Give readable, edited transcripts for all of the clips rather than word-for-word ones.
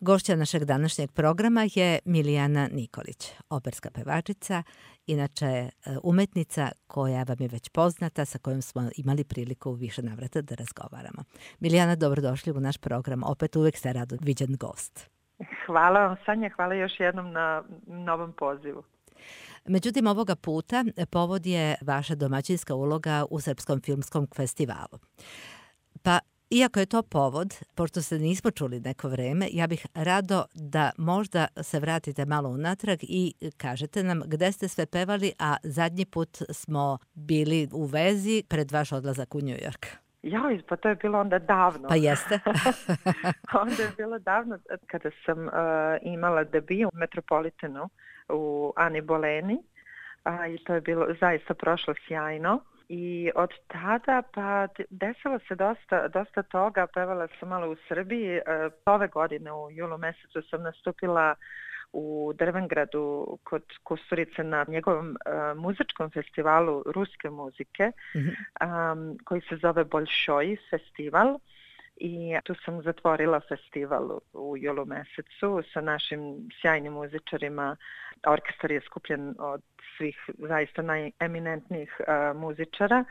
Gošća našeg današnjeg programa je Milijana Nikolić, operska pevačica, inače umetnica koja vam je već poznata, sa kojom smo imali priliku u više navrata da razgovaramo. Milijana, dobrodošli u naš program. Opet uvek ste rado viđen gost. Hvala vam, Sanja, hvala još jednom na novom pozivu. Međutim, ovoga puta povod je vaša domaćinska uloga u Srpskom filmskom festivalu. Pa, iako je to povod, pošto se nismo čuli neko vreme, ja bih rado da možda se vratite malo unatrag i kažete nam gde ste sve pevali, a zadnji put smo bili u vezi pred vaš odlazak u New York. Joj, pa to je bilo onda davno. Pa jeste. Onda je bilo davno kada sam imala debiju u Metropolitanu u Ani Boleni i to je bilo zaista prošlo sjajno. I od tada pa desilo se dosta toga, pevala sam malo u Srbiji. Ove godine u julu mesecu sam nastupila u Drvengradu kod Kusturice na njegovom muzičkom festivalu ruske muzike, koji se zove Bolšoj festival. I tu sam zatvorila festival u julu mesecu sa našim sjajnim muzičarima. Orkestar je skupljen od svih zaista najeminentnijih muzičara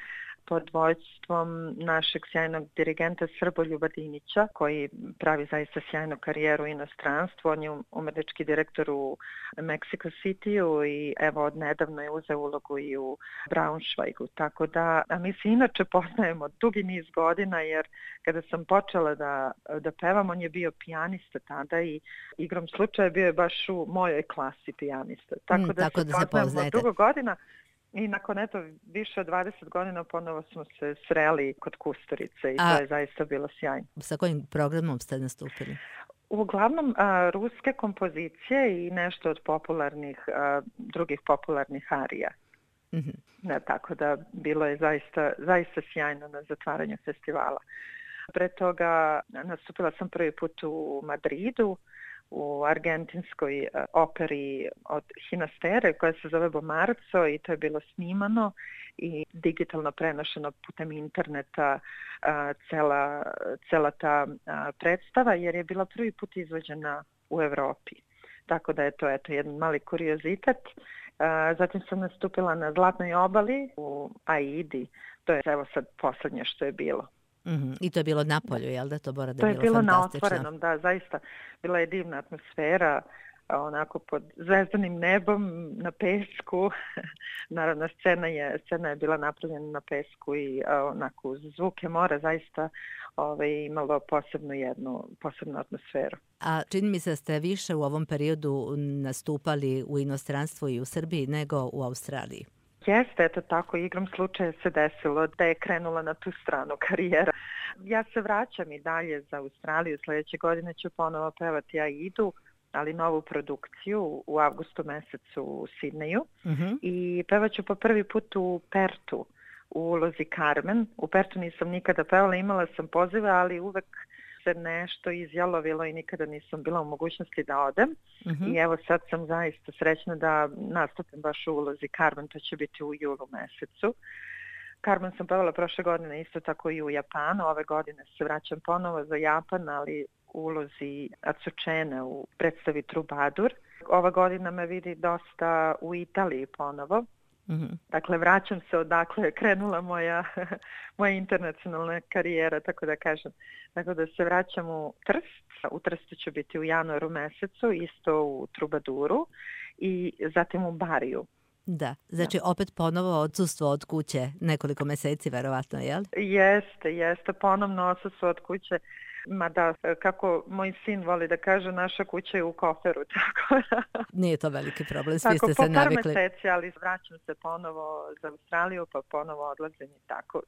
pod vođstvom našeg sjajnog dirigenta Srboljuba Dinića, koji pravi zaista sjajnu karijeru u inostranstvu. On je umetnički direktor u Mexico Cityu i evo odnedavno je uzeo ulogu i u Braunschweigu. Tako da, a mi se inače poznajemo dugi niz godina, jer kada sam počela da pevam, on je bio pijanista tada i igrom slučaja bio je baš u mojoj klasi pijanista. Tako da se poznajemo dugo godina. I nakon više od 20 godina ponovo smo se sreli kod Kusturice i to je zaista bilo sjajno. Sa kojim programom ste nastupili? Uglavnom ruske kompozicije i nešto od drugih popularnih arija. Tako da bilo je zaista sjajno na zatvaranju festivala. Pre toga nastupila sam prvi put u Madridu, u argentinskoj operi od Hinastere koja se zove Bomarzo i to je bilo snimano i digitalno prenošeno putem interneta cela ta predstava, jer je bila prvi put izvođena u Evropi. Tako da je to jedan mali kuriozitet. Zatim sam nastupila na Zlatnoj obali u Aidi. To je evo sad poslednje što je bilo. I to je bilo na polju, jel da? To je bilo na otvorenom, da, zaista. Bila je divna atmosfera, onako pod zvezdanim nebom, na pesku. Naravno, scena je bila napravljena na pesku i onako uz zvuke mora zaista imalo posebnu atmosferu. A čini mi se da ste više u ovom periodu nastupali u inostranstvu i u Srbiji nego u Australiji. Jeste, eto tako, igrom slučaja se desilo da je krenula na tu stranu karijera. Ja se vraćam i dalje za Australiju, sljedeće godine ću ponovo pevati Aidu, ali novu produkciju u avgustu mesecu u Sidneju. I pevat ću po prvi put u Pertu, u ulozi Carmen. U Pertu nisam nikada pevala, imala sam pozive, ali uvek se nešto izjalovilo i nikada nisam bila u mogućnosti da odem. I evo sad sam zaista srećna da nastupim baš u ulozi Carmen, to će biti u julu mesecu. Carmen sam pevala prošle godine isto tako i u Japanu, ove godine se vraćam ponovo za Japan, ali u ulozi Azucene u predstavi Trubadur. Ova godina me vidi dosta u Italiji ponovo. Dakle, vraćam se odakle je krenula moja internacionalna karijera, tako da kažem. Tako da se vraćam u Trst. U Trstu ću biti u januaru mesecu, isto u Trubaduru i zatim u Bariju. Da, znači opet ponovo odsustvo od kuće nekoliko meseci, verovatno, jel? Jeste, ponovno odsustvo od kuće. Mada, kako moj sin voli da kaže, naša kuća je u koferu, tako da... Nije to veliki problem, svi ste se navikli. Po par meseci, ali vraćam se ponovo za Australiju, pa ponovo odlazim i tako.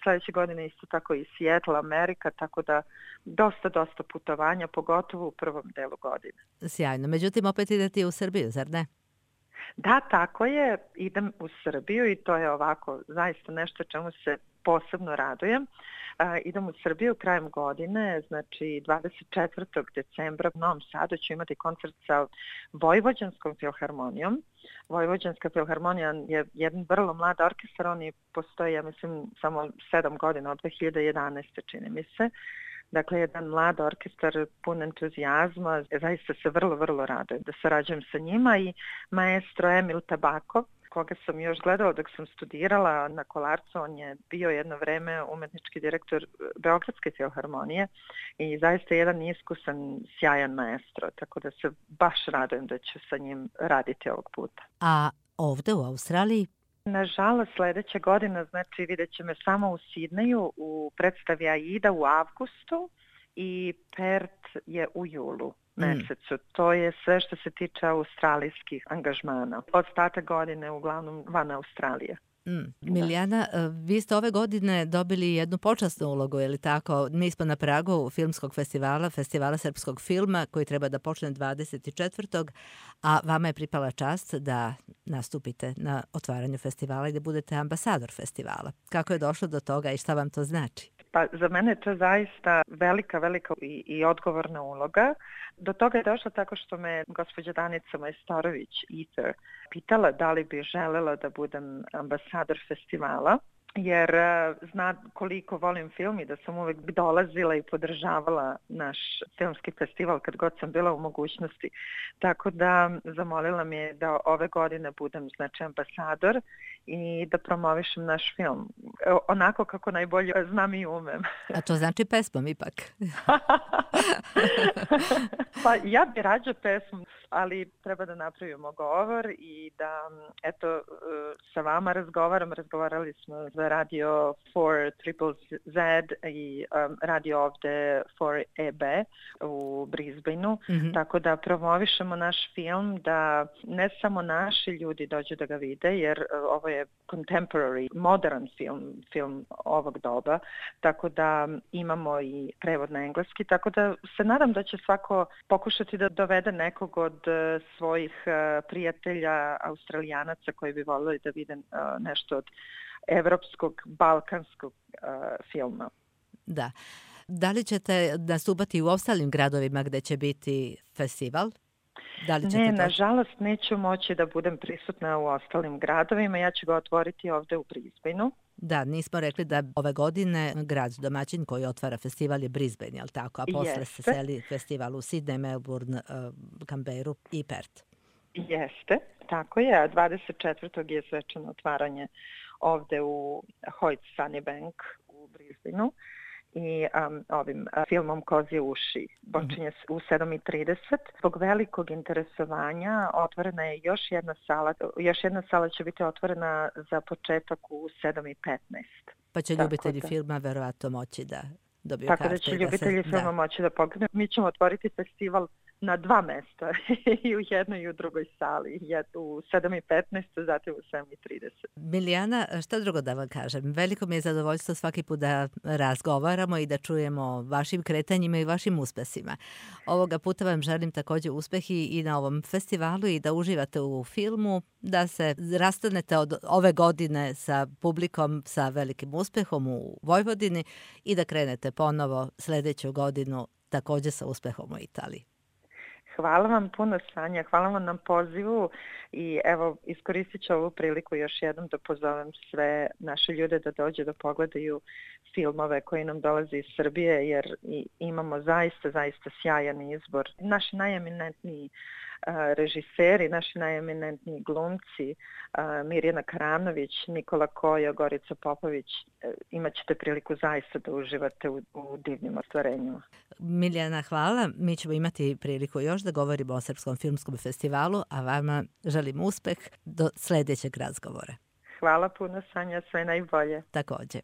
Sljedeće godine isto tako i Seattle, Amerika, tako da dosta putovanja, pogotovo u prvom delu godine. Sjajno, međutim opet idete u Srbiju, zar ne? Da, tako je, idem u Srbiju i to je ovako zaista nešto čemu se posebno radujem. Idem u Srbiju krajem godine, znači 24. decembra u Novom Sadu ću imati koncert sa Vojvođanskom filharmonijom. Vojvođanska filharmonija je jedan vrlo mlad orkestar, oni postoje, ja mislim, samo 7 godina, od 2011. čini mi se. Dakle, jedan mlad orkestar pun entuzijazma. Zaista se vrlo, vrlo radujem da sarađujem sa njima i maestro Emil Tabakov, koga sam još gledala dok sam studirala na Kolarcu. On je bio jedno vreme umetnički direktor Beogradske filharmonije i zaista jedan iskusan, sjajan maestro, tako da se baš radujem da ću sa njim raditi ovog puta. A ovde u Australiji? Nažalost, sledeća godina, znači vidjet će me samo u Sidneju u predstavi Aida u avgustu i Perth je u julu mesecu. To je sve što se tiče australijskih angažmana. Ostatak godine uglavnom van Australije. Milijana, vi ste ove godine dobili jednu počasnu ulogu, je li tako? Mi smo na pragu filmskog festivala, festivala srpskog filma koji treba da počne 24. a vama je pripala čast da nastupite na otvaranju festivala i da budete ambasador festivala. Kako je došlo do toga i šta vam to znači? Pa za mene je to zaista velika i odgovorna uloga. Do toga je došlo tako što me gospođa Danica Majstorović Ether pitala da li bi želela da budem ambasador festivala, jer zna koliko volim film i da sam uvek dolazila i podržavala naš filmski festival kad god sam bila u mogućnosti. Tako da zamolila me je da ove godine budem znači ambasador i da promovišem naš film. Onako kako najbolje znam i umem. A to znači pesmom ipak? Pa ja bi rađe pesmu, ali treba da napravimo govor i da eto sa vama razgovarali smo za radio 4ZZZ i radio ovde 4EB u Brisbaneu, tako da promovišemo naš film, da ne samo naši ljudi dođu da ga vide, jer ovo je contemporary, modern film ovog doba, tako da imamo i prevod na engleski, tako da se nadam da će svako pokušati da dovede nekog od svojih prijatelja Australijanaca koji bi voljeli da vide nešto od evropskog, balkanskog filma. Da. Da li ćete nastupati u ostalim gradovima gde će biti festival? Ne, nažalost neću moći da budem prisutna u ostalim gradovima. Ja ću ga otvoriti ovde u Brisbaneu. Da, nismo rekli da ove godine grad domaćin koji otvara festival je Brisbane, je li tako? A posle se seli festival u Sydney, Melbourne, Canberru i Perth. Jeste, tako je. A 24. je svečano otvaranje ovde u Hoyt Sunnybank u Brisbaneu. I ovim filmom Kozje uši. Počinje u 7:30. Zbog velikog interesovanja otvorena je još jedna sala. Još jedna sala će biti otvorena za početak u 7:15. Pa će ljubitelji filma verovatno moći da dobiju karte. Tako da će ljubitelji filma moći da pogledaju. Mi ćemo otvoriti festival na 2 mesta, i u jednoj i u drugoj sali, u 7:15, zatim u 7:30. Milijana, šta drugo da vam kažem? Veliko mi je zadovoljstvo svaki put da razgovaramo i da čujemo vašim kretanjima i vašim uspesima. Ovoga puta vam želim takođe uspehi i na ovom festivalu i da uživate u filmu, da se rastanete od ove godine sa publikom sa velikim uspehom u Vojvodini i da krenete ponovo sledeću godinu takođe sa uspehom u Italiji. Hvala vam puno, Sanja, hvala vam na pozivu i evo iskoristit ću ovu priliku još jednom da pozovem sve naše ljude da dođe da pogledaju filmove koji nam dolaze iz Srbije, jer imamo zaista sjajan izbor. Naši najeminentniji režiseri, naši najeminentniji glumci, Mirjana Karanović, Nikola Kojo, Gorica Popović, imat ćete priliku zaista da uživate u divnim ostvarenjima. Miljana, hvala. Mi ćemo imati priliku još da govorimo o Srpskom filmskom festivalu, a vama želim uspeh do sledećeg razgovora. Hvala puno, Sanja, sve najbolje. Takođe.